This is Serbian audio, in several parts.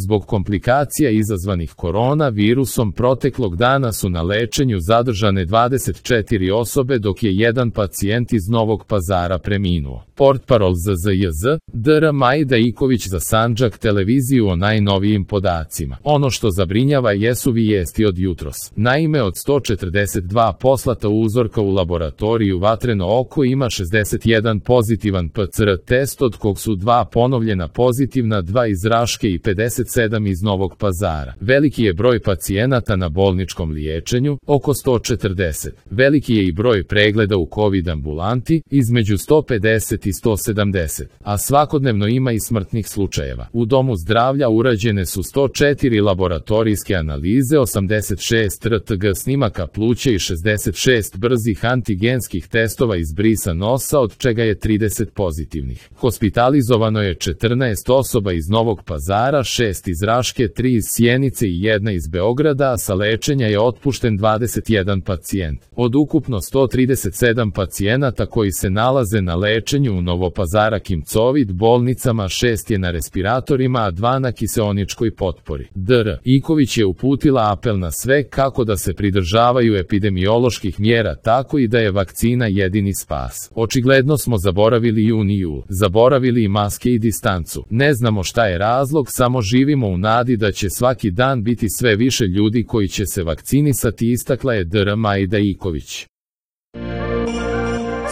Zbog komplikacija izazvanih koronavirusom proteklog dana su na lečenju zadržane 24 osobe, dok je jedan pacijent iz Novog Pazara preminuo. Portparol ZZJZ, dr. Majda Iković za Sandžak televiziju o najnovijim podacima. Ono što zabrinjava jesu vijesti od jutros. Naime, od 142 poslata uzorka u laboratoriju Vatreno oko ima 61 pozitivan PCR test, od kog su 2 ponovljena pozitivna, 2 iz Raške i 57 iz Novog Pazara. Veliki je broj pacijenata na bolničkom liječenju, oko 140. Veliki je i broj pregleda u COVID ambulanti, između 150 i 170, a svakodnevno ima i smrtnih slučajeva. U domu zdravlja urađene su 104 laboratorijske analize, 86 RTG snimaka pluća i 66 brzih antigenskih testova iz brisa nosa, od čega je 30 pozitivnih. Hospitalizovano je 14 osoba iz Novog Pazara, 6 iz Raške, 3 iz Sjenice i 1 iz Beograda, a sa lečenja je otpušten 21 pacijent. Od ukupno 137 pacijenata koji se nalaze na lečenju u Novopazarskim COVID bolnicama, 6 je na respiratorima, a 2 na kiseoničkoj potpori. Dr. Iković je uputila apel na sve kako da se pridržavaju epidemioloških mjera, tako i da je vakcina jedini spas. Očigledno smo zaboravili jun i jul, zaboravili i maske i distancu. Ne znamo šta je razlog, samo živimo u nadi da će svaki dan biti sve više ljudi koji će se vakcinisati, istakla je dr. Majda Iković.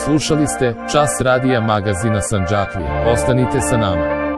Slušali ste Čas radija magazina Sandžaklija. Ostanite sa nama.